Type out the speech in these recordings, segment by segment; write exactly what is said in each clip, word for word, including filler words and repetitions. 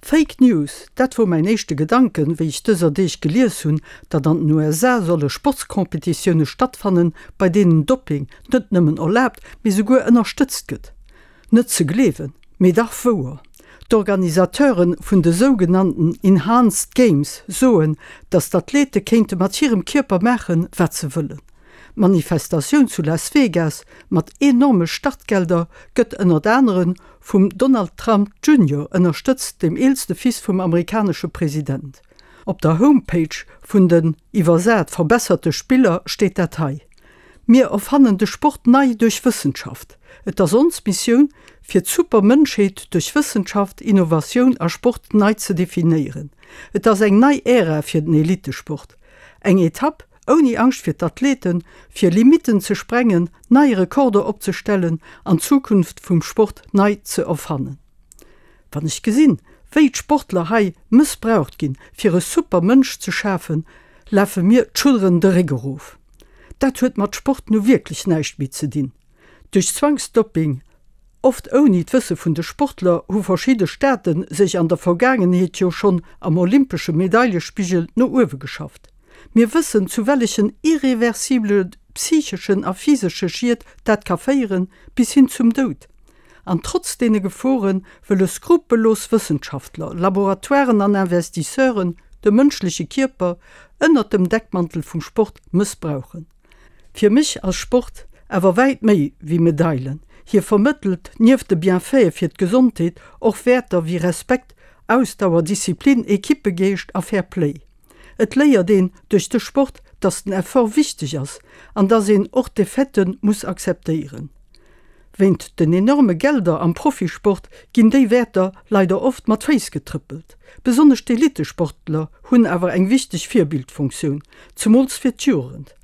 Fake News, dat wor mäin éischte Gedanken, wéi ech dëser Deeg gelies hunn, datt an den USA solle Sportskompetitioune stattfannen, bei deenen Dopping net nëmmen erlaabt, mee souguer ënnerstëtzt gëtt. Net ze gleewen, mee dach wouer. D'Organisateure vun de sougenannten Enhanced Games soen, datt d'Athlete kéinte mat hirem Kierper maachen, wat se wëllen. D'Manifestatioun zu Las Vegas mat enorme Startgelder gëtt ënnert anere vum Donald Trump Junior ënnerstëtzt, dem eelste Fils vum amerikanesche President. Op der Homepage vun den, iwwersat, verbesserte Spiller steet dat hei, Mir erfannen de Sport nei duerch Wëssenschaft. Et ass ons Missioun, fir d'Supermënschheet duerch Wëssenschaft, Innovatioun a Sport nei ze definéieren. Et ass eng nei Ära fir den Elittesport. Eng Etapp ouni Angscht fir d'Athleten, fir Limitten ze sprengen, nei Rekorder opzestellen an d'Zukunft vum Sport nei ze erfannen. Wann ech gesinn, wéi d'Sportler hei mëssbraucht ginn, fir e Supermënsch ze schafen, lafe mir d'Schudderen de Réck erof. Dat huet mat Sport nu wierklech näischt méi ze dinn. Duerch Zwangsdoping, oft ouni d'Wësse vun de Sportler, hu verschidde Staate sech an der Vergaangenheet jo schonn am olympesche Medailespigel no uewe geschafft. Mir wëssen, zu wellechen irreversibele psycheschen a physesche Schied dat ka féieren, bis hin zum Doud. An trotz deene Gefore wëlle skrupellos Wëssenschaftler, Laboratoiren an Investisseuren de mënschleche Kierper ënnert dem Deckmantel vum Sport mëssbrauchen. Fir mech ass Sport awer wäit méi wéi Medailen. Hie vermëttelt nieft de Bienfaite fir d'Gesondheet och Wäerter wéi Respekt, Ausdauer, Disziplin, Ekippegeescht a Fair Play. Et léiert een duerch de Sport, dass den Effort wichteg ass an dass een och Defaitë muss akzeptéieren. Wéint den enorme Gelder am Profisport ginn déi Wäerter leider oft mat Féiss getrëppelt. Besonnesch d'Elittesportler hunn awer eng wichteg Virbildfunktioun, zemools fir d'Jugend.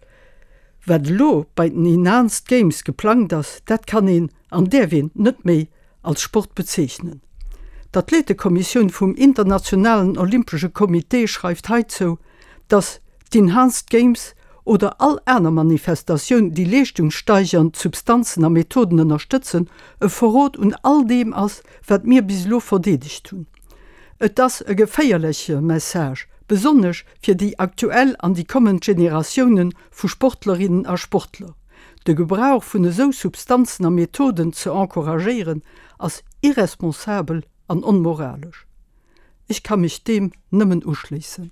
Wat elo bei den Enhanced Games geplangt ass, dat kann een an däerf een net méi als Sport bezeechnen. D'Athletekommissioun vum Internationalen Olympesche Comité schreift heizou, dass d'Enhanced Games oder all aner Manifestatioun, déi leeschtungssteigernd Substanzen a Methoden ënnerstëtzen, e Verrot un all deem ass, wat mir bis elo verdeedegt hunn. Et ass e geféierleche Message, besonnesch fir déi aktuell an déi kommend Generatioune vu Sportlerinnen a Sportler. De Gebrauch vun esou Substanzen a Methoden ze encouragéieren, ass irresponsabel an onmoralesch. Ech ka mech deem nëmmen uschléissen.